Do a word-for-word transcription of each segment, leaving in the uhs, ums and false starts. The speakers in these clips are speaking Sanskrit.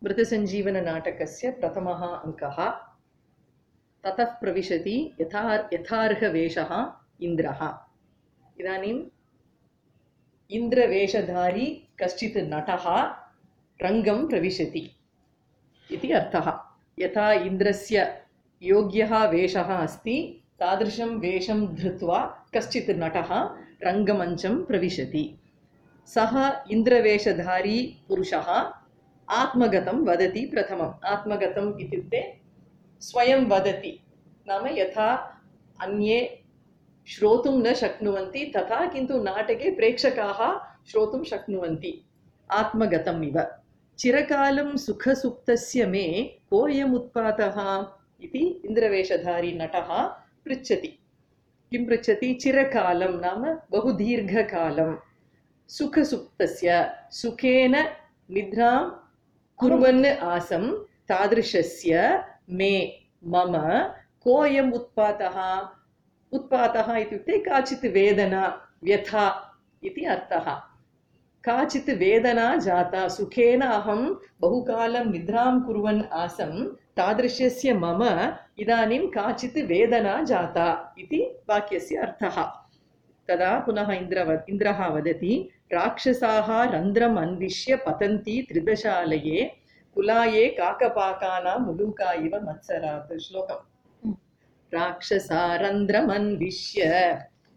मृतसञ्जीवननाटकस्य प्रथमः अङ्कः। ततः प्रविशति यथा यथार्हवेषः इन्द्रः। इदानीम् इन्द्रवेषधारी कश्चित् नटः रङ्गं प्रविशति इति अर्थः। यथा इन्द्रस्य योग्यः वेषः अस्ति तादृशं वेषं धृत्वा कश्चित् नटः रङ्गमञ्चं प्रविशति। सः इन्द्रवेषधारी पुरुषः आत्मगतं वदति प्रथमम्। आत्मगतम् इत्युक्ते स्वयं वदति, नाम यथा अन्ये श्रोतुं न शक्नुवन्ति तथा किन्तु नाटके प्रेक्षकाः श्रोतुं शक्नुवन्ति, आत्मगतम् इव। चिरकालं सुखसुप्तस्य मे कोऽयमुत्पातः इति इन्द्रवेषधारी नटः पृच्छति। किं पृच्छति? चिरकालं नाम बहुदीर्घकालं, सुखसुप्तस्य सुखेन निद्रां कुर्वन् आसं तादृशस्य मे मम कोऽयम् उत्पातः। उत्पातः इत्युक्ते काचित् वेदना, व्यथा इति अर्थः। काचित् वेदना जाता, सुखेन अहं बहुकालं निद्रां कुर्वन् आसं तादृशस्य मम इदानीं काचित् वेदना जाता इति वाक्यस्य अर्थः। तदा पुनः इन्द्र इन्द्रः वदति, राक्षसाः रन्ध्रम् अन्विष्य पतन्ति त्रिदशालये, कुलाये काकपाकानां मुलूका इव मत्सरात्। श्लोकम्। राक्षसा रन्ध्रमन्विष्य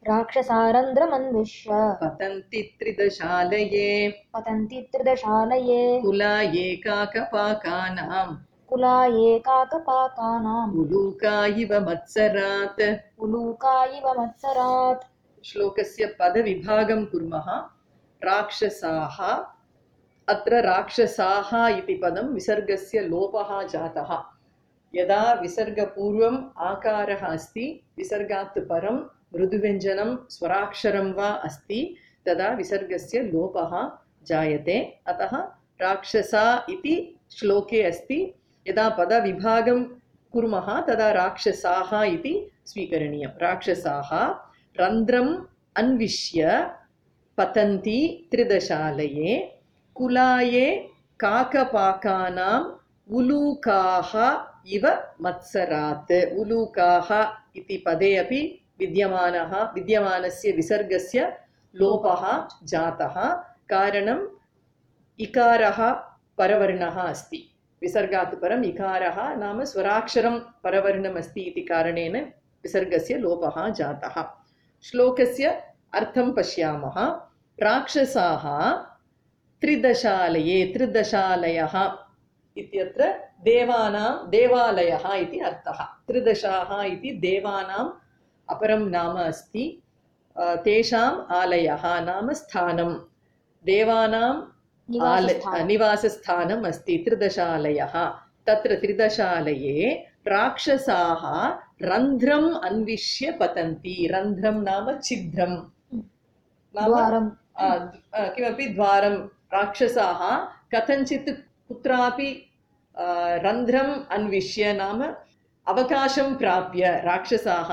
राक्षसारन्ध्रमन्विष्य पतन्ति त्रिदशालये पतन्ति त्रिदशालये कुलाये काकपाकानां कुलाये काकपाकानां मुलूका इव मत्सरात्। उलूका इव मत्सरात्। श्लोकस्य पदविभागं कुर्मः। राक्षसाः, अत्र राक्षसाः इति पदं विसर्गस्य लोपः जातः। यदा विसर्गपूर्वम् आकारः अस्ति, विसर्गात् परं मृदुव्यञ्जनं स्वराक्षरं वा अस्ति, तदा विसर्गस्य लोपः जायते। अतः राक्षसा इति श्लोके अस्ति। यदा पदविभागं कुर्मः तदा राक्षसाः इति स्वीकरणीयं। राक्षसाः रन्ध्रम् अन्विष्य पतन्ति त्रिदशालये, कुलाये काकपाकानाम् उलूकाः इव मत्सरात्। उलूकाः इति पदे अपि विद्यमानः विद्यमानस्य विसर्गस्य लोपः जातः। कारणम् इकारः परवर्णः अस्ति। विसर्गात् परम् इकारः नाम स्वराक्षरं परवर्णम् अस्ति इति कारणेन विसर्गस्य लोपः जातः। श्लोकस्य अर्थं पश्यामः। राक्षसाः त्रिदशालये, त्रिदशालयः इत्यत्र देवानां देवालयः इति अर्थः। त्रिदशाः इति देवानाम् अपरं नाम अस्ति। तेषाम् आलयः नाम स्थानं, देवानां निवासस्थानम् अस्ति त्रिदशालयः। तत्र त्रिदशालये राक्षसाः रन्ध्रम् अन्विष्य पतन्ति। रन्ध्रं नाम छिद्रं, नाम किमपि द्वारं। राक्षसाः कथञ्चित् कुत्रापि रन्ध्रम् अन्विष्य नाम अवकाशं प्राप्य, राक्षसाः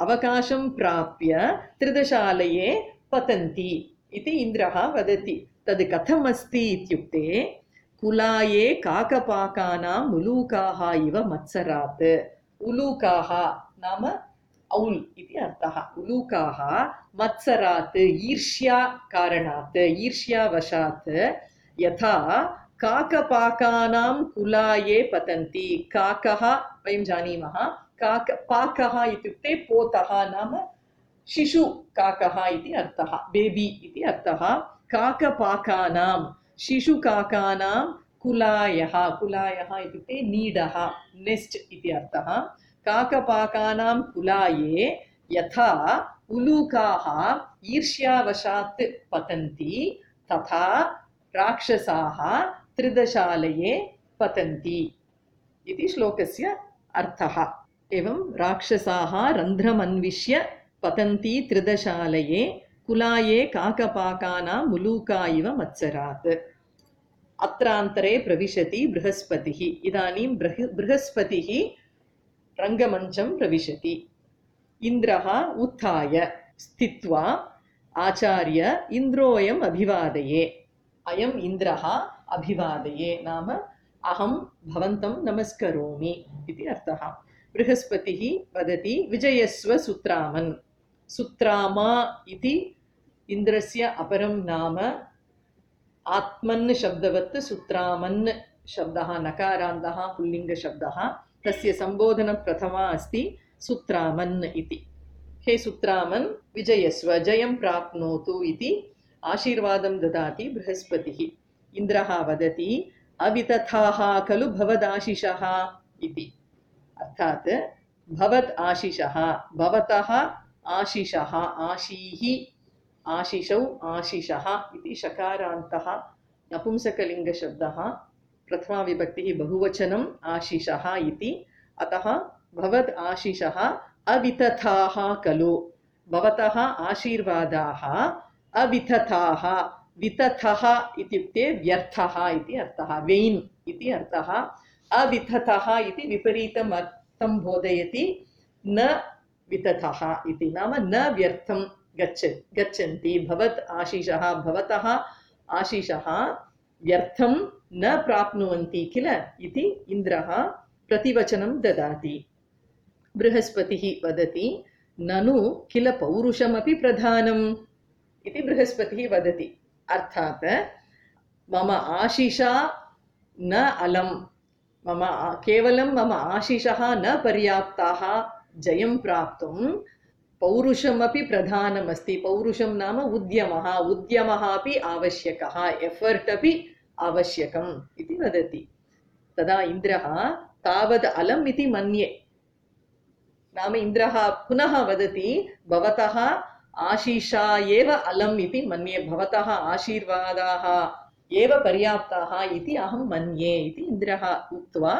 अवकाशं प्राप्य त्रिदशालये पतन्ति इति इन्द्रः वदति। तद् कथम् अस्ति इत्युक्ते, कुलाये काकपाकानां उलूकाः इव मत्सरात्। उलूकाः नाम औल् इति अर्थः। उलूकाः मत्सरात् ईर्ष्या कारणात्, ईर्ष्यावशात् यथा काकपाकानां कुलाये पतन्ति। काकः वयं जानीमः, काक पाकः इत्युक्ते पोतः नाम शिशु काकः इति अर्थः, बेबी इति अर्थः। काकपाकानां शिशुकाकानां कुलायः, कुलायः इत्युक्ते नीडः, नेस्ट् इति अर्थः। काकपाकानां कुलाये यथा उलूकाः ईर्ष्यावशात् पतन्ति तथा राक्षसाः त्रिदशालये पतन्ति इति श्लोकस्य अर्थः। एवं राक्षसाः रन्ध्रमन्विष्य पतन्ति त्रिदशालये, कुलाये काकपाकानां मुलूका इव मत्सरात्। अत्रान्तरे प्रविशति बृहस्पतिः। इदानीं बृहस्पतिः रङ्गमञ्चं प्रविशति। इन्द्रः उत्थाय स्थित्वा आचार्य इन्द्रोऽयम् अभिवादये। अयम् इन्द्रः अभिवादये नाम अहं भवन्तं नमस्करोमि इति अर्थः। बृहस्पतिः वदति विजयस्व सुत्रामन्। सुत्रामा इति इन्द्रस्य अपरं नाम। आत्मन् शब्दवत् सुत्रामन् शब्दः नकारान्तः पुल्लिङ्गशब्दः। तस्य सम्बोधनप्रथमा अस्ति सुत्रामन् इति। हे सुत्रामन् विजयस्व, जयं प्राप्नोतु इति आशीर्वादं ददाति बृहस्पतिः। इन्द्रः वदति अवितथाः खलु भवदाशिषः इति। अर्थात् भवत् आशिषः, भवतः आशिषः, आशीः, आशिषौ, आशिषः इति शकारान्तः नपुंसकलिङ्गशब्दः। प्रथमा विभक्तिः बहुवचनम् आशिषः इति। अतः भवद् आशिषः अवितथाः खलु, भवतः आशीर्वादाः अवितथाः। वितथः इत्युक्ते व्यर्थः इति अर्थः, वेन् इति अर्थः। अवितथः इति विपरीतम् अर्थं बोधयति। न वितथः इति नाम न व्यर्थं गच्छ गच्छन्ति। भवत् आशिषः, भवतः आशिषः व्यर्थं न प्राप्नुवन्ति किल इति इन्द्रः प्रतिवचनं ददाति। बृहस्पतिः वदति ननु किल पौरुषमपि प्रधानम् इति बृहस्पतिः वदति। अर्थात् मम आशिषा न अलं, मम केवलं मम आशिषः न पर्याप्ताः जयं प्राप्तुं, पौरुषमपि प्रधानमस्ति। पौरुषं नाम उद्यमः, उद्यमः अपि आवश्यकः, एफर्ट् अपि आवश्यकम् इति वदति। तदा इन्द्रः तावद् अलम् इति मन्ये, नाम इन्द्रः पुनः वदति भवतः आशिषा एव अलम् इति मन्ये, भवतः आशीर्वादाः एव पर्याप्ताः इति अहं मन्ये इति इन्द्रः उक्त्वा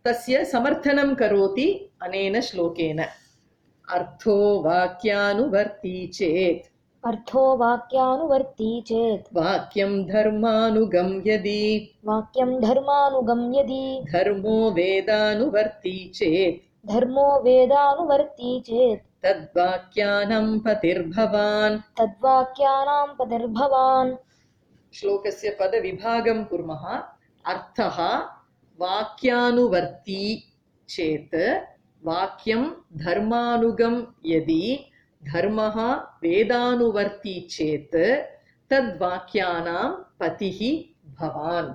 तस्य समर्थनं करोति अनेन श्लोकेन। अर्थो वाक्यानुवर्ती चेत्, अर्थो वाक्यानुवर्ती चेत् वाक्यं धर्मानुगं यदि, वाक्यं धर्मानुगं यदि धर्मो वेदानुवर्ती चेत्, धर्मो वेदानुवर्ती चेत् तद्वाक्यानां पतिर्भवान्। तद्वाक्यानां पतिर्भवान्। श्लोकस्य पदविभागं कुर्मः। अर्थः वाक्यानुवर्ती चेत्, वाक्यं धर्मानुगं यदि, धर्मः वेदानुवर्ती चेत् तद्वाक्यानां पतिः भवान्।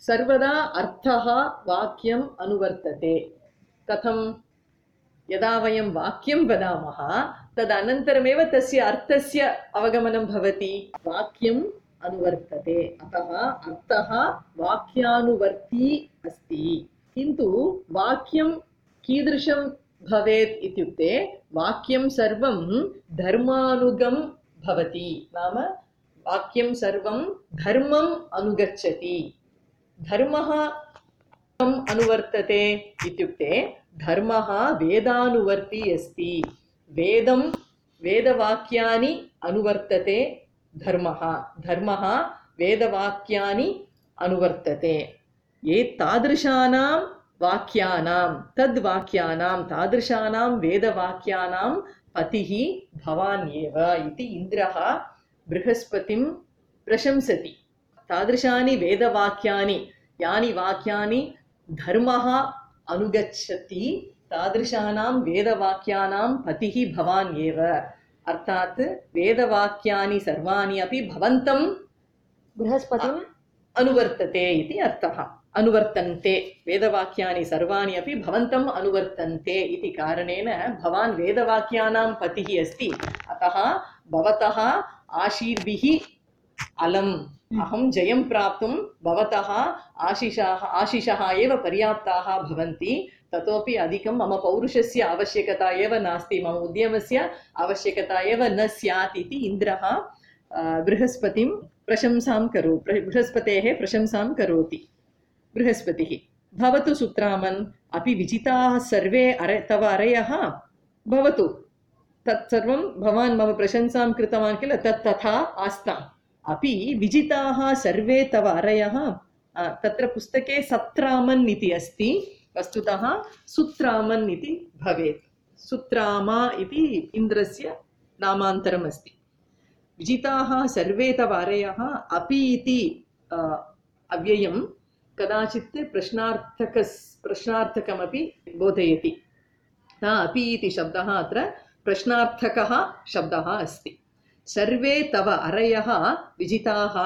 सर्वदा अर्थः वाक्यम् अनुवर्तते। कथं? यदा वयं वाक्यं वदामः तदनन्तरमेव तस्य अर्थस्य अवगमनं भवति। वाक्यम् अनुवर्तते, अतः अर्थः वाक्यानुवर्ती अस्ति। किन्तु वाक्यं कीदृशं भवेत् इत्युक्ते वाक्यं सर्वं धर्मानुगं भवति, नाम वाक्यं सर्वं धर्मम् अनुगच्छति। धर्मः कथम् अनुवर्तते इत्युक्ते धर्मः वेदानुवर्ती अस्ति। वेदं वेदवाक्यानि अनुवर्तते धर्मः, धर्मः वेदवाक्यानि अनुवर्तते। ये तादृशानां वाक्यानां, तद्वाक्यानां, तादृशानां वेदवाक्यानां पतिः भवान् एव इति इन्द्रः बृहस्पतिं प्रशंसति। तादृशानि वेदवाक्यानि, यानि वाक्यानि धर्मः अनुगच्छति, तादृशानां वेदवाक्यानां पतिः भवान् एव। अर्थात् वेदवाक्यानि सर्वाणि अपि भवन्तं बृहस्पतिम् अनुवर्तते इति अर्थः। अनुवर्तन्ते, वेदवाक्यानि सर्वाणि अपि भवन्तम् अनुवर्तन्ते इति कारणेन भवान् वेदवाक्यानां पतिः अस्ति। अतः भवतः आशीर्भिः अलम्, अहं जयं प्राप्तुं भवतः आशिषाः आशिषः एव पर्याप्ताः भवन्ति। ततोपि अधिकं मम पौरुषस्य आवश्यकता एव नास्ति, मम उद्यमस्य आवश्यकता एव न स्यात् इति इन्द्रः बृहस्पतिं प्रशंसां करो बृहस्पतेः प्रशंसां करोति। बृहस्पतिः भवतु सुत्रामन्, अपि विजिताः सर्वे अरे तव अरयः भवतु। तत्सर्वं भवान् मम प्रशंसां कृतवान् किल, तत् तथा आस्ताम्। अपि विजिताः सर्वे तव अरयः, तत्र पुस्तके सत्रामन् इति अस्ति, वस्तुतः सुत्रामन् इति भवेत्। सुत्रामा इति इन्द्रस्य नामान्तरम् अस्ति। विजिताः सर्वे तव अरयः, अपि इति अव्ययं कदाचित् प्रश्नार्थक प्रश्नार्थकमपि बोधयति। अपि इति शब्दः अत्र प्रश्नार्थकः शब्दः अस्ति। सर्वे तव अरयः विजिताः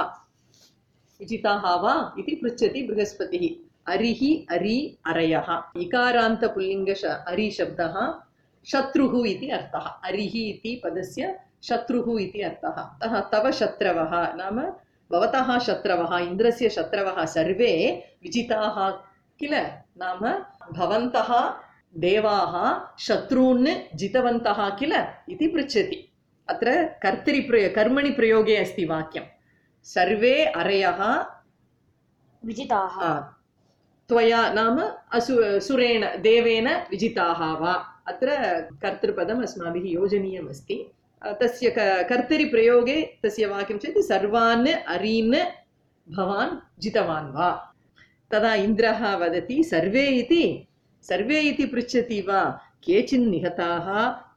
विजिताः वा इति पृच्छति बृहस्पतिः। अरिः अरि अरयः इकारान्त पुल्लिङ्ग अरि शब्दः शत्रुः इति अर्थः। अरिः इति पदस्य शत्रुः इति अर्थः। अतः तव शत्रवः नाम भवतः शत्रवः, इन्द्रस्य शत्रवः सर्वे विजिताः किल, नाम भवन्तः देवाः शत्रून् जितवन्तः किल इति पृच्छति। अत्र कर्तरि प्रयो कर्मणि प्रयोगे अस्ति वाक्यं। सर्वे अरयः विजिताः त्वया नाम असु सुरेण देवेन विजिताः वा, अत्र कर्तृपदम् अस्माभिः योजनीयम् अस्ति। तस्य कर्तरि प्रयोगे तस्य वाक्यं चेत् सर्वान् अरीन् भवान् जितवान् वा। तदा इन्द्रः वदति सर्वे इति सर्वे इति पृच्छति वा, केचिन् निहताः,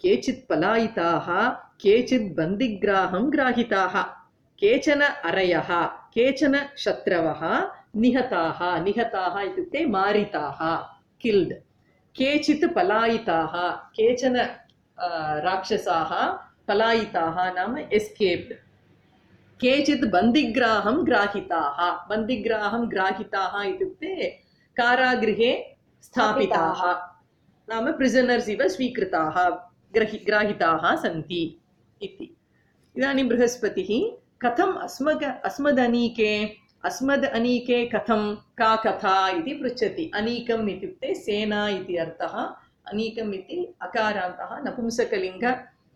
केचित् पलायिताः, केचित् बन्दिग्राहं ग्राहिताः, केचन अरयः, केचन शत्रवः निहताः। निहताः इत्युक्ते मारिताः, किल्ड्। केचित् पलायिताः, केचन राक्षसाः पलायिताः नाम एस्केप्ड्। केचित् बन्दिग्राहं ग्राहिताः, बन्दिग्राहं ग्राहिताः इत्युक्ते कारागृहे स्थापिताः नाम प्रिसनर्स् इव स्वीकृताः ग्रहि ग्राहिताः सन्ति इति। इदानीं बृहस्पतिः कथम् अस्मग अस्मदनीके अस्मद् अनीके कथं का कथा इति पृच्छति। अनीकम् इत्युक्ते सेना इति अर्थः। अनीकम् इति अकारान्तः नपुंसकलिङ्ग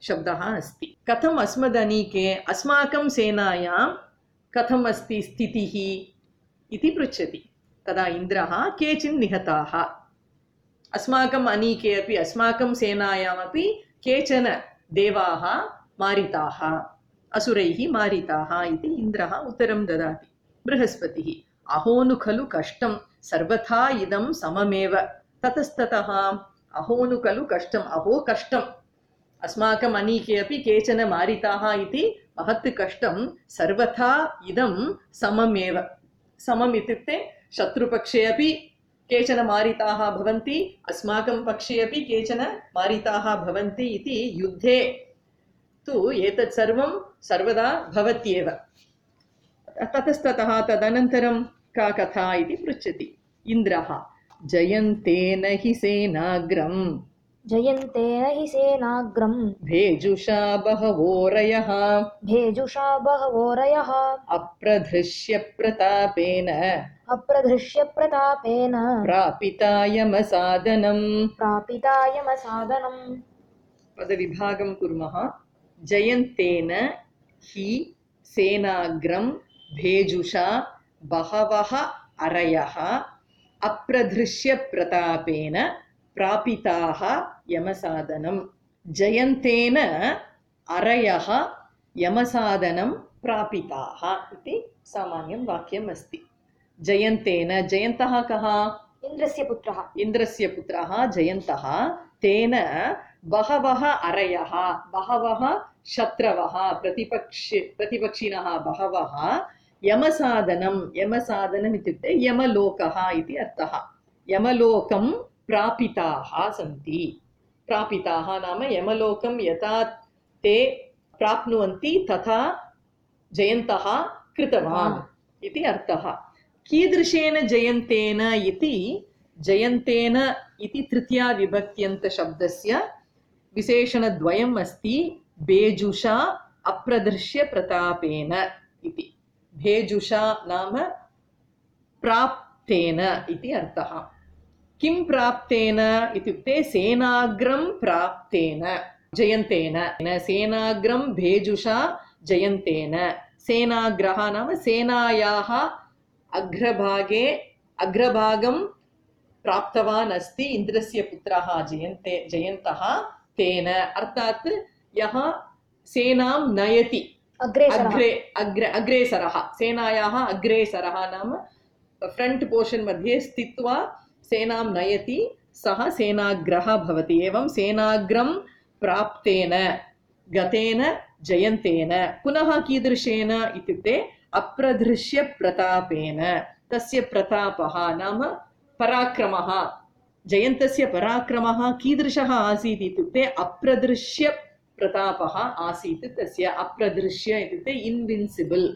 शब्दः अस्ति। कथम् अस्मदनीके अस्माकं सेनायां कथम् अस्ति स्थितिः इति पृच्छति। तदा इन्द्रः केचिन् निहताः, अस्माकम् अनीके अपि अस्माकं सेनायामपि केचन देवाः मारिताः, असुरैः मारिताः इति इन्द्रः उत्तरं ददाति। बृहस्पतिः अहोनु खलु कष्टं सर्वथा इदं सममेव। ततस्ततः अहोनु खलु कष्टम्, अहो कष्टम्, अस्माकम् अनीके अपि केचन मारिताः इति महत् कष्टं, सर्वथा इदं सममेव। समम् इत्युक्ते शत्रुपक्षे अपि केचन मारिताः भवन्ति, अस्माकं पक्षे अपि केचन मारिताः भवन्ति इति युद्धे तु एतत् सर्वं सर्वदा भवत्येव। ततस्ततः तदनन्तरं का कथा इति पृच्छति। इन्द्रः जयन्तेन हि सेनाग्रं जयन्तेन हि सेनाग्रं भेजुषा बहवोरयः भेजुषा बहवोरयः अप्रधृष्य प्रतापेन अप्रधृष्य प्रतापेन प्रापितायमसादनं प्रापितायमसादनं। पदविभागं कुर्मः। जयन्तेन हि सेनाग्रं भेजुषा बहवः अरयः अप्रधृष्य प्रतापेन प्रापिताः यमसादनं। जयन्तेन अरयः यमसादनं प्रापिताः इति सामान्यं वाक्यम् अस्ति। जयन्तेन, जयन्तः कः? इन्द्रस्य पुत्रः। इन्द्रस्य पुत्रः जयन्तः। तेन बहवः अरयः, बहवः शत्रवः, प्रतिपक्ष प्रतिपक्षिणः बहवः यमसादनं, यमसादनम् इत्युक्ते यमलोकः इति अर्थः। यमलोकं प्रापिताः सन्ति। प्रापिताः नाम यमलोकं यथा ते प्राप्नुवन्ति तथा जयन्तः कृतवान् इति अर्थः। कीदृशेन जयन्तेन इति, जयन्तेन इति तृतीया विभक्त्यन्त शब्दस्य विशेषणद्वयम् अस्ति। भेजुषा अप्रदृश्य प्रतापेन इति। भेजुषा नाम प्राप्तेन इति अर्थः। किं प्राप्तेन इत्युक्ते सेनाग्रं प्राप्तेन जयन्तेन। सेनाग्रं भेजुषा जयन्तेन। सेनाग्रः नाम सेनायाः अग्रभागे अग्रभागं प्राप्तवान् अस्ति इन्द्रस्य पुत्रः जयन्ते जयन्तः। तेन अर्थात् यः सेनां नयति, अग्रे अग्रे अग्रेसरः, सेनायाः अग्रेसरः नाम फ्रंट पोर्शन मध्ये स्थित्वा सेनां नयति, सः सेनाग्रः भवति। एवं सेनाग्रं प्राप्तेन गतेन जयन्तेन। पुनः कीदृशेन इत्युक्ते अप्रधृष्य प्रतापेन, तस्य प्रतापः नाम पराक्रमः जयन्तस्य पराक्रमः कीदृशः आसीत् इत्युक्ते अप्रदृश्य प्रतापः आसीत् तस्य अप्रदृश्य इत्युक्ते इन्विन्सिबल्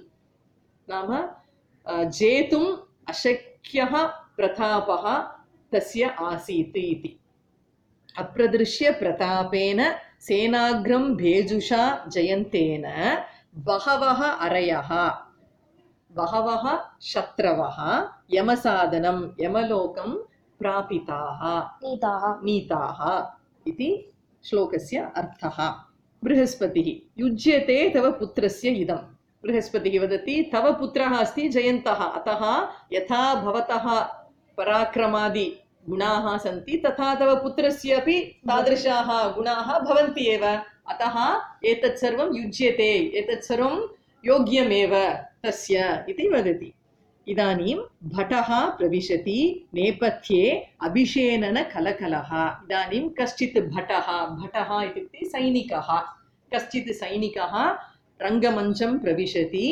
नाम जेतुम् अशक्यः प्रतापः तस्य आसीत् इति अप्रदृश्य प्रतापेन सेनाग्रं भेजुषा जयन्तेन बहवः अरयः बहवः शत्रवः यमसादनं यमलोकं प्रापिताः नीताः नीताः इति श्लोकस्य अर्थः बृहस्पतिः युज्यते तव पुत्रस्य इदं बृहस्पतिः वदति तव पुत्रः अस्ति जयन्तः अतः यथा भवतः पराक्रमादि गुणाः सन्ति तथा तव पुत्रस्य अपि तादृशाः गुणाः भवन्ति एव अतः एतत् सर्वं युज्यते एतत् सर्वं योग्यमेव तस्य इति वदति इदानीं भटः प्रविशति नेपथ्ये अभिषेणन कलकलः इदानीं कश्चित् भटः भटः इत्युक्ते सैनिकः कश्चित् सैनिकः रङ्गमञ्चं प्रविशति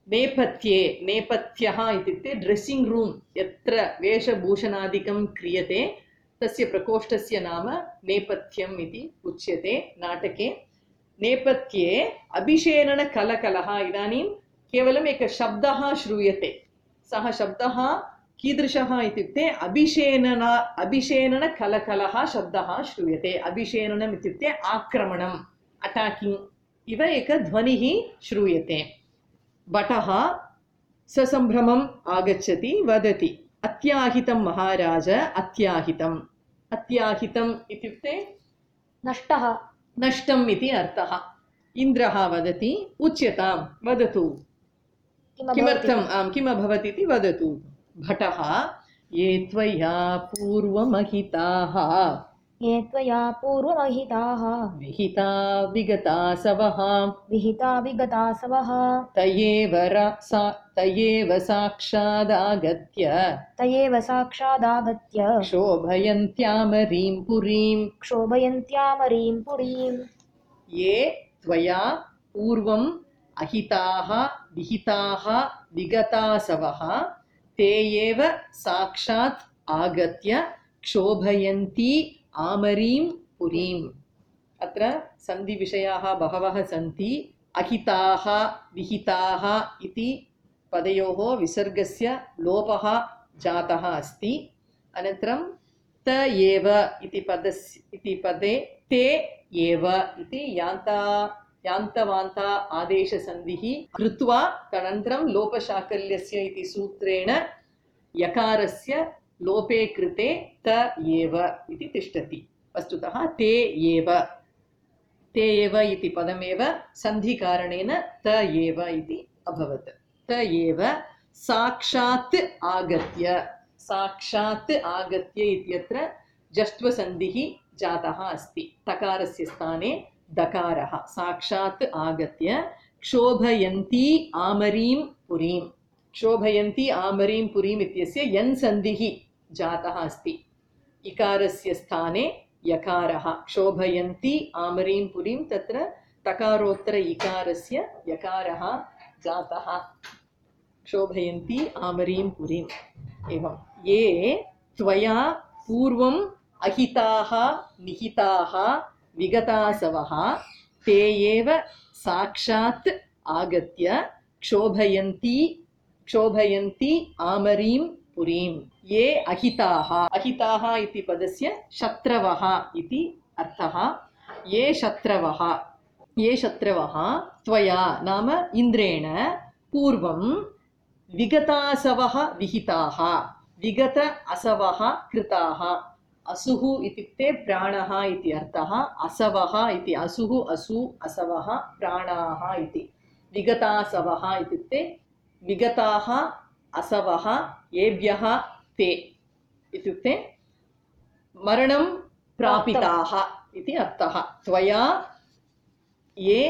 नेपथ्ये नेपथ्यः इत्युक्ते ड्रेस्सिङ्ग् रूम् यत्र वेशभूषणादिकं क्रियते तस्य प्रकोष्ठस्य नाम नेपथ्यम् इति उच्यते नाटके नेपथ्ये अभिषेणनकलकलः इदानीं केवलम् एकः शब्दः श्रूयते सः शब्दः कीदृशः इत्युक्ते अभिषेणन अभिषेणनकलकलः शब्दः श्रूयते अभिषेणनम् इत्युक्ते आक्रमणम् अटाकिङ्ग् इव एकः ध्वनिः श्रूयते भटः ससम्भ्रमम् आगच्छति वदति अत्याहितं महाराज अत्याहितम् अत्याहितम् इत्युक्ते नष्टः नष्टम् इति अर्थः इन्द्रः वदति उच्यतां वदतु किमर्थम् आम् किम् अभवत् इति वदतु भटः ये त्वया पूर्वमहिताः ये त्वया पूर्वमहिताः विहिता विगतासवः विहिता विगतासवः तयेव सा तयेव साक्षादागत्य तयेव साक्षादागत्य क्षोभयन्त्यामरीं पुरीं क्षोभयन्त्यामरीं पुरीं ये त्वया पूर्वम् अहिताः विहिताः विगतासवः ते एव साक्षात् आगत्य क्षोभयन्ति आमरीं पुरीम् अत्र सन्धिविषयाः बहवः सन्ति अहिताः विहिताः इति पदयोः विसर्गस्य लोपः जातः अस्ति अनन्तरं त एव इति पदस्य इति पदे ते एव इति यान्ता यान्तवान्ता आदेशसन्धिः कृत्वा तदनन्तरं लोपशाकल्यस्य इति सूत्रेण यकारस्य लोपे कृते त एव इति तिष्ठति वस्तुतः ते एव ते एव इति पदमेव सन्धिकारणेन त एव इति अभवत् त एव साक्षात् आगत्य साक्षात् आगत्य इत्यत्र जष्ट्वसन्धिः जातः अस्ति तकारस्य स्थाने दकारः साक्षात् आगत्य क्षोभयन्ती आमरीं पुरीं क्षोभयन्ती आमरीं पुरीम् इत्यस्य यन् सन्धिः जातः अस्ति इकारस्य स्थाने यकारः क्षोभयन्ती आमरीं पुरीं तत्र तकारोत्तर इकारस्य यकारः जातः क्षोभयन्ती आमरीं पुरीम् एवं ये त्वया पूर्वम् अहिताः निहिताः विगतासवः ते एव साक्षात् आगत्य क्षोभयन्ती क्षोभयन्ति आमरीं पुरीं ये अहिताः अहिताः इति पदस्य शत्रवः इति अर्थः ये शत्रवः ये शत्रवः त्वया नाम इन्द्रेण पूर्वं विगतासवः विहिताः विगत असवः कृताः असुः इत्युक्ते प्राणः इति अर्थः असवः इति असुः असु असवः प्राणाः इति विगतासवः इत्युक्ते विगताः असवः येभ्यः ते इत्युक्ते मरणं प्रापिताः इति अर्थः त्वया ये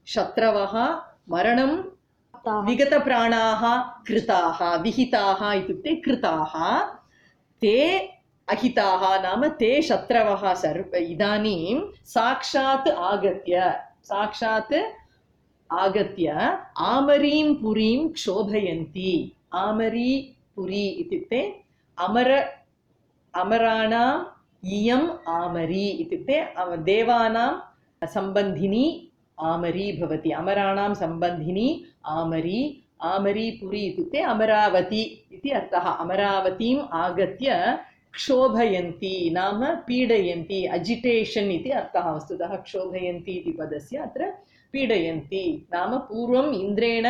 शत्रवः मरणं विगतप्राणाः कृताः विहिताः इत्युक्ते कृताः ते अहिताः नाम ते शत्रवः सर्व इदानीं साक्षात् आगत्य साक्षात् आगत्य आमरीं पुरीं क्षोभयन्ति आमरी पुरी इत्युक्ते अमर अमराणाम् इयम् आमरी इत्युक्ते देवानां सम्बन्धिनी आमरी भवति। अमराणां सम्बन्धिनी आमरी आमरी पुरी इत्युक्ते अमरावती इति अर्थः। अमरावतीम् आगत्य क्षोभयन्ति नाम पीडयन्ति, अजिटेशन् इति अर्थः। वस्तुतः क्षोभयन्ति इति पदस्य अत्र पीडयन्ति नाम पूर्वम् इन्द्रेण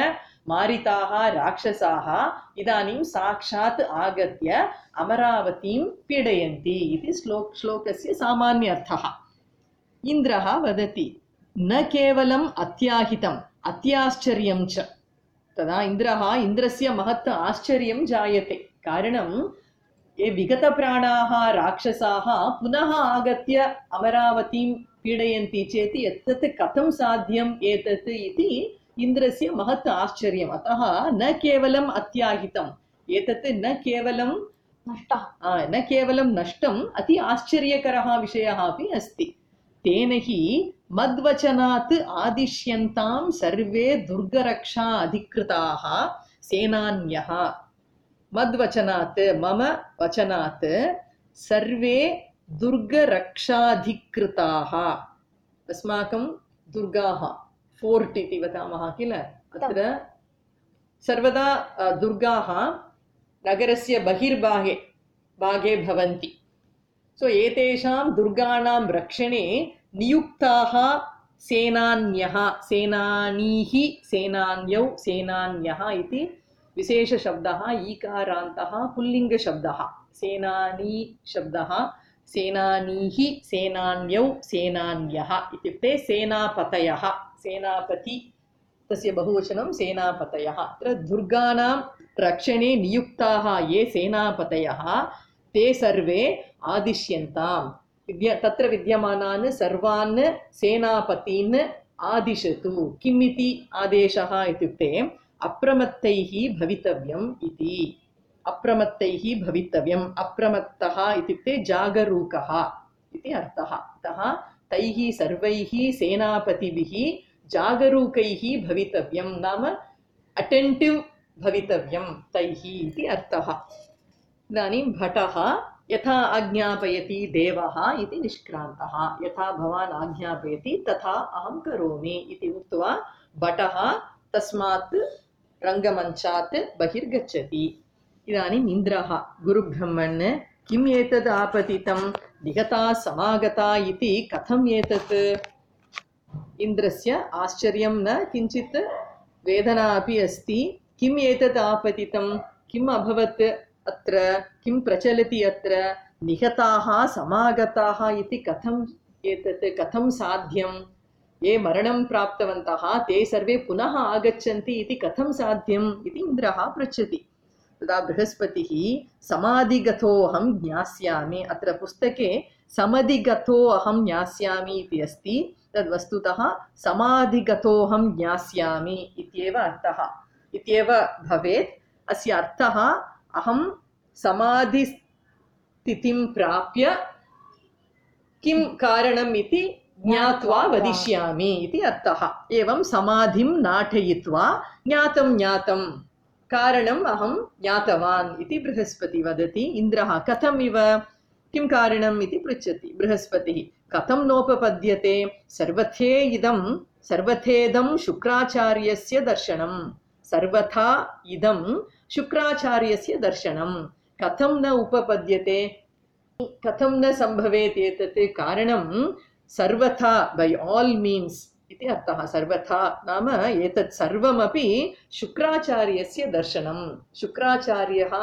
मारिताः राक्षसाः इदानीं साक्षात् आगत्य अमरावतीं पीडयन्ति इति श्लोक श्लोकस्य सामान्यर्थः। इन्द्रः वदति न केवलम् अत्याहितम् अत्याश्चर्यं च। तदा इन्द्रः इन्द्रस्य महत् आश्चर्यं जायते। कारणं ये विगतप्राणाः राक्षसाः पुनः आगत्य अमरावतीं पीडयन्ति चेत् एतत् कथं साध्यम् एतत् इति इन्द्रस्य महत् आश्चर्यम्। अतः न केवलम् अत्याहितम्, एतत् न केवलं नष्टः न केवलं नष्टम्, अति आश्चर्यकरः विषयः अपि अस्ति। तेन हि मद्वचनात् आदिश्यन्तां सर्वे दुर्गरक्षा अधिकृताः सेनान्यः। मद्वचनात् मम वचनात् सर्वे दुर्गरक्षाधिकृताः। अस्माकं दुर्गाः फोर्ट् इति वदामः किल, अत्र सर्वदा दुर्गाः नगरस्य बहिर्भागे भागे भवन्ति। सो एतेषां दुर्गाणां रक्षणे नियुक्ताः सेनान्यः, सेनानीः, सेनान्यौ, सेनान्यः इति विशेषशब्दः, ईकारान्तः पुल्लिङ्गशब्दः। सेनानी शब्दः सेनानीः, सेनान्यौ, सेनान्यः इत्युक्ते सेनापतयः। सेनापति तस्य बहुवचनं सेनापतयः। अत्र दुर्गाणां रक्षणे नियुक्ताः ये सेनापतयः ते सर्वे आदिश्यन्तां। विद्य तत्र विद्यमानान् सर्वान् सेनापतीन् आदिशतु। किम् इति आदेशः इत्युक्ते अप्रमत्तैः भवितव्यम् इति। अप्रमत्तैः भवितव्यम्। अप्रमत्तः इत्युक्ते जागरूकः इति अर्थः। अतः तैः सर्वैः सेनापतिभिः जागरूकैः भवितव्यं नाम अटेन्टिव् भवितव्यं तैः इति अर्थः। इदानीं भटः यथा आज्ञापयति देवः इति निष्क्रान्तः। यथा भवान् आज्ञापयति तथा अहं करोमि इति उक्त्वा भटः तस्मात् रङ्गमञ्चात् बहिर्गच्छति। इदानीम् इन्द्रः गुरुब्रह्मन् किम् एतद् आपतितं निगता समागता इति कथम् एतत्? इन्द्रस्य आश्चर्यं न किञ्चित् वेदना अपि अस्ति। किम् एतत् आपतितं, किम् अभवत् अत्र, किं प्रचलति अत्र? निहताः समागताः इति कथम् एतत्, कथं साध्यं? ये मरणं प्राप्तवन्तः ते सर्वे पुनः आगच्छन्ति इति कथं साध्यम् इति इन्द्रः पृच्छति। तदा बृहस्पतिः समाधिगतो अहं ज्ञास्यामि, अत्र पुस्तके समाधिगतो अहं ज्ञास्यामि इति अस्ति, तद् वस्तुतः समाधिगतोऽहं ज्ञास्यामि इत्येव अर्थः इत्येव भवेत्। अस्य अर्थः अहं समाधिस्थितिं प्राप्य किं कारणम् इति ज्ञात्वा वदिष्यामि इति अर्थः। एवं समाधिं नाटयित्वा ज्ञातं ज्ञातं कारणम् अहं ज्ञातवान् इति बृहस्पति वदति। इन्द्रः कथम् इव, किं कारणम् इति पृच्छति। बृहस्पतिः कथं नोपपद्यते, सर्वथे इदं सर्वथेदं शुक्राचार्यस्य दर्शनं, सर्वथा इदं शुक्राचार्यस्य दर्शनं कथं न उपपद्यते, कथं न सम्भवेत् एतत्? कारणं सर्वथा बै आल् मीन्स् इति अर्थः। सर्वथा नाम एतत् सर्वमपि शुक्राचार्यस्य दर्शनं। शुक्राचार्यः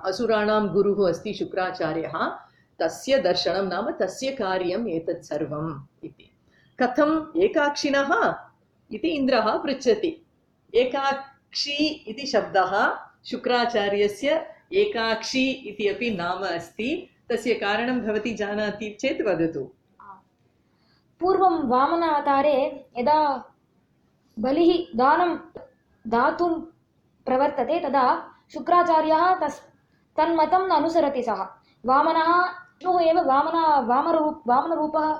असुराणां गुरुः अस्ति शुक्राचार्यः, तस्य दर्शनं नाम तस्य कार्यम् एतत् सर्वम् इति। कथम् एकाक्षिणः इति इन्द्रः पृच्छति। एकाक्षी इति शब्दः शुक्राचार्यस्य एकाक्षी इति अपि नाम अस्ति। तस्य कारणं भवती जानाति चेत् वदतु। पूर्वं वामनावतारे यदा बलिः दानं दातुं प्रवर्तते तदा शुक्राचार्यः तस् तन्मतं न अनुसरति। सः वामनः विष्णुः एव वामना वामरूप वामनरूपः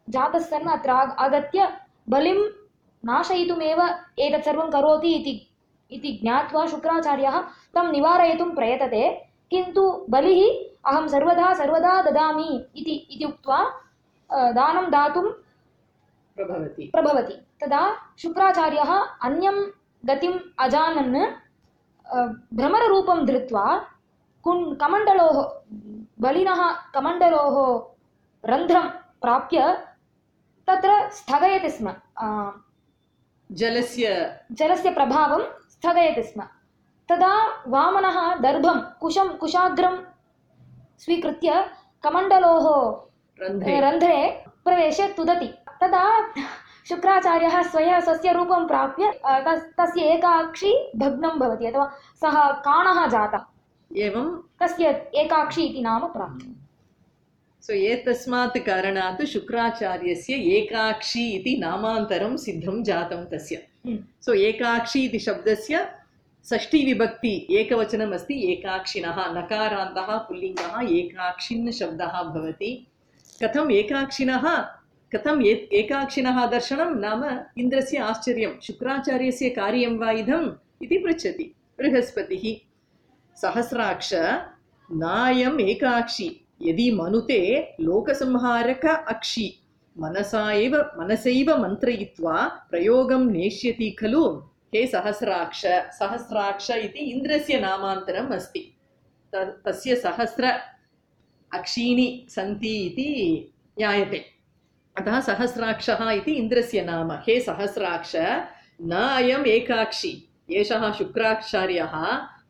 जातः सन् अत्र आगत्य बलिं नाशयितुमेव एतत् सर्वं करोति इति इति ज्ञात्वा शुक्राचार्यः तं निवारयितुं प्रयतते, किन्तु बलिः अहं सर्वदा सर्वदा ददामि इति इति उक्त्वा दानं दातुं प्रभवति प्रभवति। तदा शुक्राचार्यः अन्यं गतिम् अजानन् भ्रमररूपं धृत्वा कुन् कमण्डलोः बलिनः कमण्डलोः रन्ध्रं प्राप्य तत्र स्थगयति स्म। जलस्य जलस्य प्रभावं स्थगयति स्म। तदा वामनः दर्भं कुशं कुशाग्रं स्वीकृत्य कमण्डलोः रन्ध्रे रन्ध्रे प्रवेश्य तुदति। तदा शुक्राचार्यः स्वयं स्वस्य रूपं प्राप्य तस्य एकाक्षी भग्नं भवति अथवा सः काणः जातः, एवं तस्य एकाक्षी इति नाम प्राप्तम्। सो एतस्मात् कारणात् शुक्राचार्यस्य एकाक्षी इति नामान्तरं सिद्धं जातं तस्य। सो एकाक्षी इति शब्दस्य षष्ठी विभक्ति एकवचनम् अस्ति एकाक्षिणः, नकारान्तः पुल्लिङ्गः एकाक्षिन् शब्दः भवति। कथम् एकाक्षिणः कथम् ए एकाक्षिणः दर्शनं नाम इन्द्रस्य आश्चर्यं, शुक्राचार्यस्य कार्यं वा इदम् इति पृच्छति बृहस्पतिः। सहस्राक्ष नायम् एकाक्षी यदि मनुते लोकसंहारक अक्षी मनसा एव मनसैव मन्त्रयित्वा प्रयोगं नेष्यति खलु। हे सहस्राक्ष, सहस्राक्ष इति इन्द्रस्य नामान्तरम् अस्ति। तस्य सहस्र अक्षीणि सन्ति इति ज्ञायते, अतः सहस्राक्षः इति इन्द्रस्य नाम। हे सहस्राक्ष न अयम् एकाक्षी, एषः शुक्राचार्यः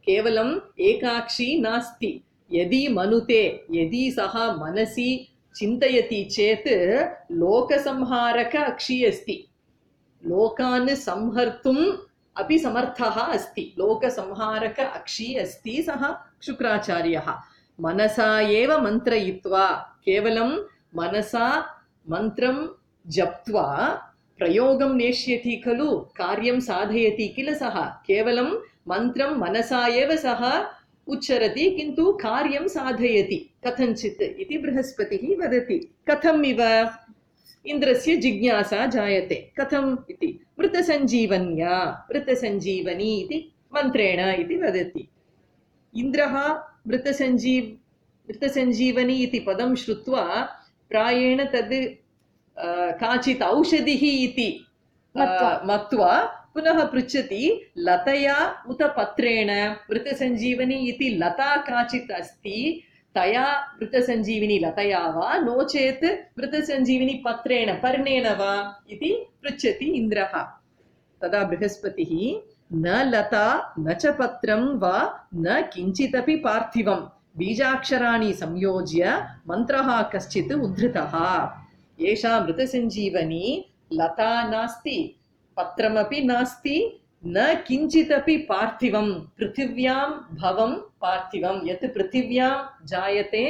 केवलम् एकाक्षी नास्ति। यदि मनुते, यदि सः मनसि चिन्तयति चेत् लोकसंहारक अक्षी अस्ति, लोकान् संहर्तुम् अपि समर्थः अस्ति, लोकसंहारक अक्षी अस्ति सः शुक्राचार्यः। मनसा एव मन्त्रयित्वा, केवलं मनसा मन्त्रं जप्त्वा प्रयोगं नेष्यति खलु, कार्यं साधयति किल सः। केवलं मन्त्रं मनसा एव सः उच्चरति किन्तु कार्यं साधयति कथञ्चित् इति बृहस्पतिः वदति। कथम् इव इन्द्रस्य जिज्ञासा जायते, कथम् इति। मृतसञ्जीवन्या, मृतसञ्जीवनी इति मन्त्रेण इति वदति। इन्द्रः मृतसञ्जीव मृतसञ्जीवनी इति पदं श्रुत्वा प्रायेण तद् काचित् औषधिः इति मत्वा पुनः पृच्छति, लतया उत पत्रेण। मृतसञ्जीवनी इति लता काचित् अस्ति, तया मृतसञ्जीविनी लतया वा नो चेत् मृतसञ्जीविनी पत्रेण पर्णेन वा इति पृच्छति इन्द्रः। तदा बृहस्पतिः न लता न च पत्रं वा न किञ्चिदपि पार्थिवं बीजाक्षराणि संयोज्य मन्त्रः कश्चित् उद्धृतः। एषा मृतसञ्जीवनी लता नास्ति, पत्रमपि नास्ति, न किञ्चिदपि पार्थिवं, पृथिव्यां भवं पार्थिवं, यत् पृथिव्यां जायते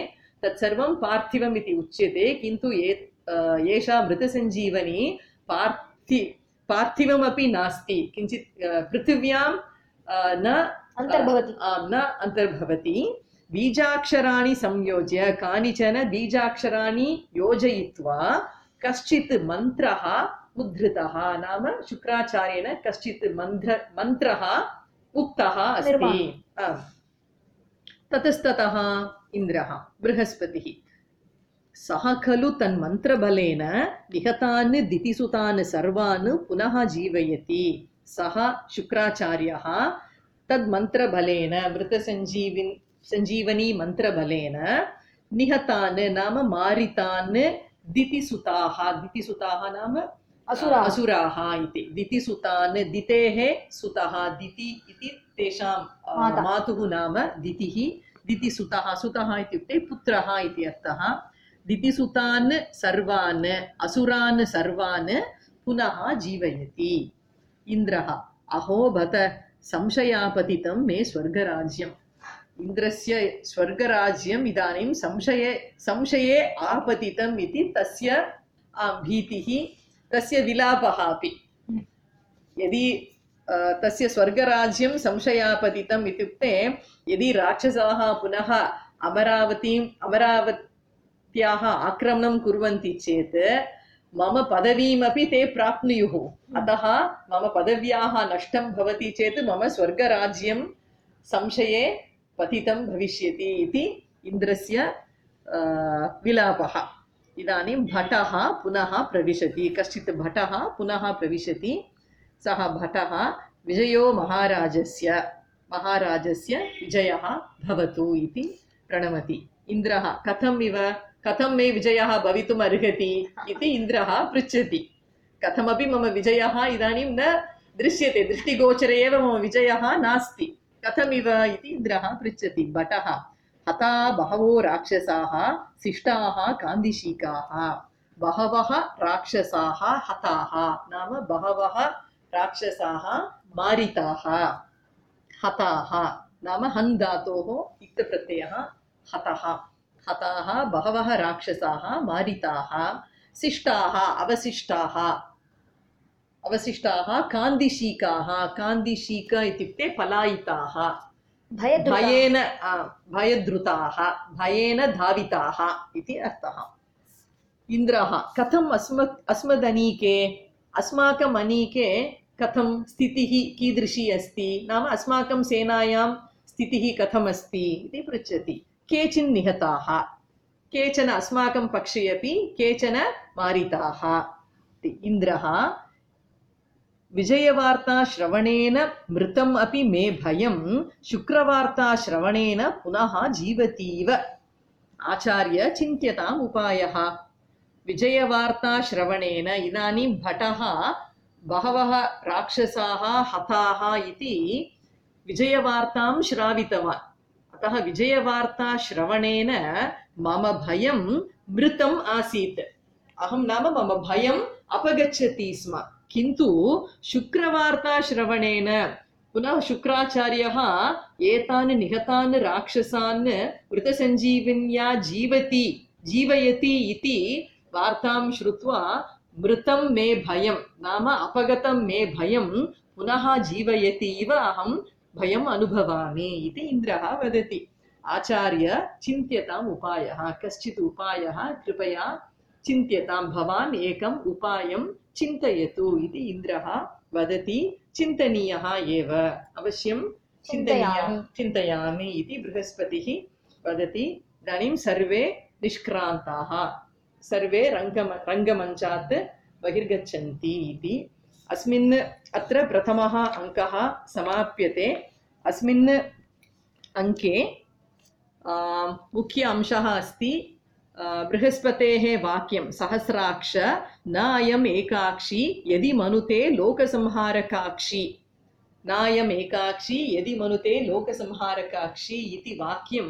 तत्सर्वं पार्थिवम् इति उच्यते। किन्तु एषा मृतसञ्जीवनी पार्थि पार्थिवमपि नास्ति, किञ्चित् पृथिव्यां न अन्तर्भवति न अन्तर्भवति। बीजाक्षराणि संयोज्य, कानिचन बीजाक्षराणि योजयित्वा कश्चित् मन्त्रः उद्धृतः, नाम शुक्राचार्येण कश्चित् मन्त्र मन्त्रः उक्तः अस्ति। ततस्ततः इन्द्रः बृहस्पतिः सः खलु तन्मन्त्रबलेन निहतान् दितिसुतान् सर्वान् पुनः जीवयति। सः शुक्राचार्यः तद्मन्त्रबलेन, मृतसञ्जीविन् सञ्जीवनी मन्त्रबलेन निहतान् नाम मारितान् दितिसुताः, दितिसुताः नाम असुराः असुराः इति। दितिसुतान्, दितेः सुतः, दिति इति तेषां मातुः नाम दितिः, दितिसुतः, सुतः इत्युक्ते पुत्रः इति अर्थः। दितिसुतान् सर्वान् असुरान् सर्वान् पुनः जीवयति। इन्द्रः अहो बत संशयापतितं मे स्वर्गराज्यम्। इन्द्रस्य स्वर्गराज्यम् इदानीं संशये संशये आपतितम् इति तस्य भीतिः, तस्य विलापः अपि। यदि तस्य स्वर्गराज्यं संशयापतितम् इत्युक्ते यदि राक्षसाः पुनः अमरावतीम् अमरावत्याः आक्रमणं कुर्वन्ति चेत् मम पदवीमपि ते प्राप्नुयुः अतः मम पदव्याः नष्टं भवति चेत् मम स्वर्गराज्यं संशये पतितं भविष्यति इति इन्द्रस्य विलापः। इदानीं भटः पुनः प्रविशति, कश्चित् भटः पुनः प्रविशति। सः भटः विजयो महाराजस्य महाराजस्य विजयः भवतु इति प्रणमति। इन्द्रः कथम् इव कथं मे विजयः भवितुम् अर्हति इति इन्द्रः पृच्छति। कथमपि मम विजयः इदानीं न दृश्यते, दृष्टिगोचरे एव मम विजयः नास्ति, कथमिव इति इन्द्रः पृच्छति। भटः हता बहवो राक्षसाः शिष्टाः कान्दिशीकाः। बहवः राक्षसाः हताः नाम बहवः राक्षसाः मारिताः। हताः नाम हन् धातोः इक्तप्रत्ययः हतः। हताः बहवः राक्षसाः मारिताः। शिष्टाः अवशिष्टाः अवशिष्टाः कान्दिशीकाः। कान्दिशीक इत्युक्ते पलायिताः, भयेन भयधृताः, भयेन धाविताः इति अर्थः। इन्द्रः कथम् अस्मत् अस्मदनीके अस्माकम् अनीके कथं स्थितिः कीदृशी अस्ति, नाम अस्माकं सेनायां स्थितिः कथमस्ति इति पृच्छति। केचिन् निहताः, केचन अस्माकं पक्षे अपि केचन मारिताः। इन्द्रः विजयवार्ता श्रवणेन मृतम् अपि मे भयं, शुक्रवार्ता श्रवणेन पुनः जीवतीव। आचार्य चिन्त्यताम् उपायः। विजयवार्ता श्रवणेन इदानीं भटः बहवः राक्षसाः हताः इति विजयवार्तां श्रावितवान्। अतः विजयवार्ता श्रवणेन मम भयं मृतम् आसीत्। अहं नाम मम भयम् अपगच्छति स्म, किन्तु शुक्रवार्ता श्रवणेन पुनः शुक्राचार्यः एतान् निहतान् राक्षसान् मृतसञ्जीविन्या जीवति जीवयति इति वार्तां श्रुत्वा मृतं मे भयं नाम अपगतं मे भयं पुनः जीवयति इव अहं भयम् अनुभवामि इति इन्द्रः वदति। आचार्य चिन्त्यताम् उपायः। कश्चित् उपायः कृपया चिन्त्यतां, भवान् एकम् उपायं चिन्तयतु इति इन्द्रः वदति। चिन्तनीयः एव, अवश्यं चिन्तनीयः, चिन्तयामि इति बृहस्पतिः वदति। इदानीं सर्वे निष्क्रान्ताः, सर्वे रङ्गम रङ्गमञ्चात् बहिर्गच्छन्ति इति। अस्मिन् अत्र प्रथमः अङ्कः समाप्यते। अस्मिन् अङ्के मुख्य अंशः अस्ति बृहस्पतेः वाक्यं सहस्राक्ष न अयम् एकाक्षी यदि मनुते लोकसंहारकाक्षी। न अयम् एकाक्षी यदि मनुते लोकसंहारकाक्षी इति वाक्यं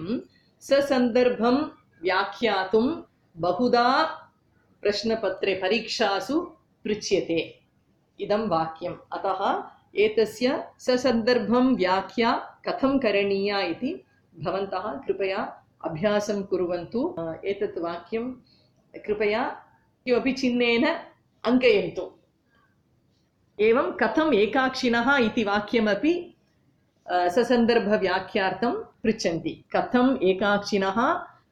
ससन्दर्भं व्याख्यातुं बहुधा प्रश्नपत्रे परीक्षासु पृच्छ्यते इदं वाक्यम्। अतः एतस्य ससन्दर्भं व्याख्या कथं करणीया इति भवन्तः कृपया अभ्यासं कुर्वन्तु। एतत् वाक्यं कृपया किमपि चिह्नेन अङ्कयन्तु। एवं कथम् एकाक्षिणः इति वाक्यमपि ससन्दर्भव्याख्यार्थं पृच्छन्ति। कथम् एकाक्षिणः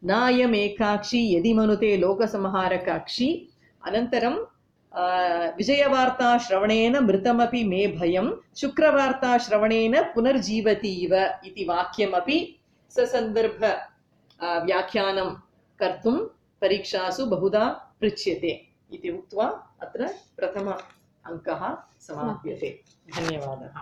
नायम् एकाक्षी यदि मनुते लोकसंहारकाक्षी। अनन्तरं विजयवार्ता श्रवणेन मृतमपि मे भयं, शुक्रवार्ता श्रवणेन पुनर्जीवति इव इति वाक्यमपि ससन्दर्भ व्याख्यानं कर्तुं परीक्षासु बहुधा पृच्छ्यते इति उक्त्वा अत्र प्रथम अङ्कः समाप्यते। धन्यवादः।